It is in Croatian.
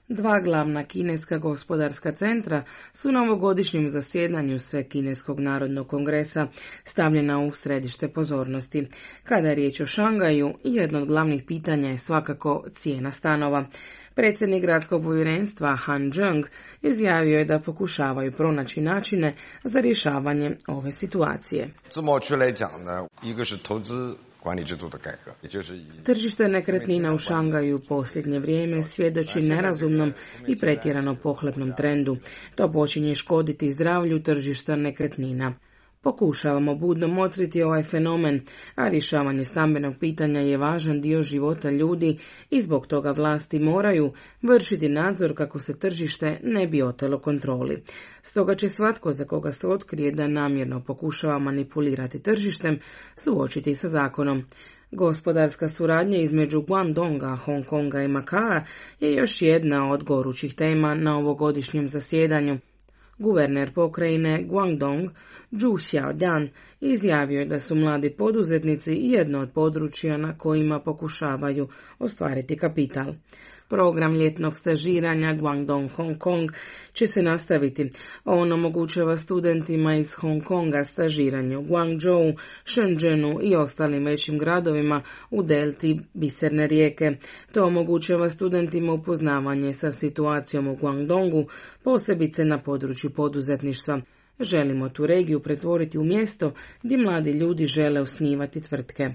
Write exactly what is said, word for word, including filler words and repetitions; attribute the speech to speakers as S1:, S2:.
S1: Dva glavna kineska gospodarska centra su na ovogodišnjem zasjedanju Svekineskog narodnog kongresa stavljena u središte pozornosti. Kada je riječ o Šangaju, jedno od glavnih pitanja je svakako cijena stanova. Predsjednik gradskog povjerenstva Han Zheng izjavio je da pokušavaju pronaći načine za rješavanje ove situacije. Tržište nekretnina u Šangaju u posljednje vrijeme svjedoči nerazumnom i pretjerano pohlepnom trendu. To počinje škoditi zdravlju tržišta nekretnina. Pokušavamo budno motriti ovaj fenomen, a rješavanje stambenog pitanja je važan dio života ljudi i zbog toga vlasti moraju vršiti nadzor kako se tržište ne bi otelo kontroli. Stoga će svatko za koga se otkrije da namjerno pokušava manipulirati tržištem suočiti sa zakonom. Gospodarska suradnja između Guangdonga, Hong Konga i Makaa je još jedna od gorućih tema na ovogodišnjem zasjedanju. Guverner pokrajine Guangdong, Zhu Xiaodan, izjavio je da su mladi poduzetnici jedno od područja na kojima pokušavaju ostvariti kapital. Program ljetnog stažiranja Guangdong Hong Kong će se nastaviti. On omogućava studentima iz Hong Konga stažiranje u Guangzhou, Shenzhenu i ostalim većim gradovima u delti biserne rijeke. To omogućava studentima upoznavanje sa situacijom u Guangdongu, posebice na području poduzetništva. Želimo tu regiju pretvoriti u mjesto gdje mladi ljudi žele osnivati tvrtke.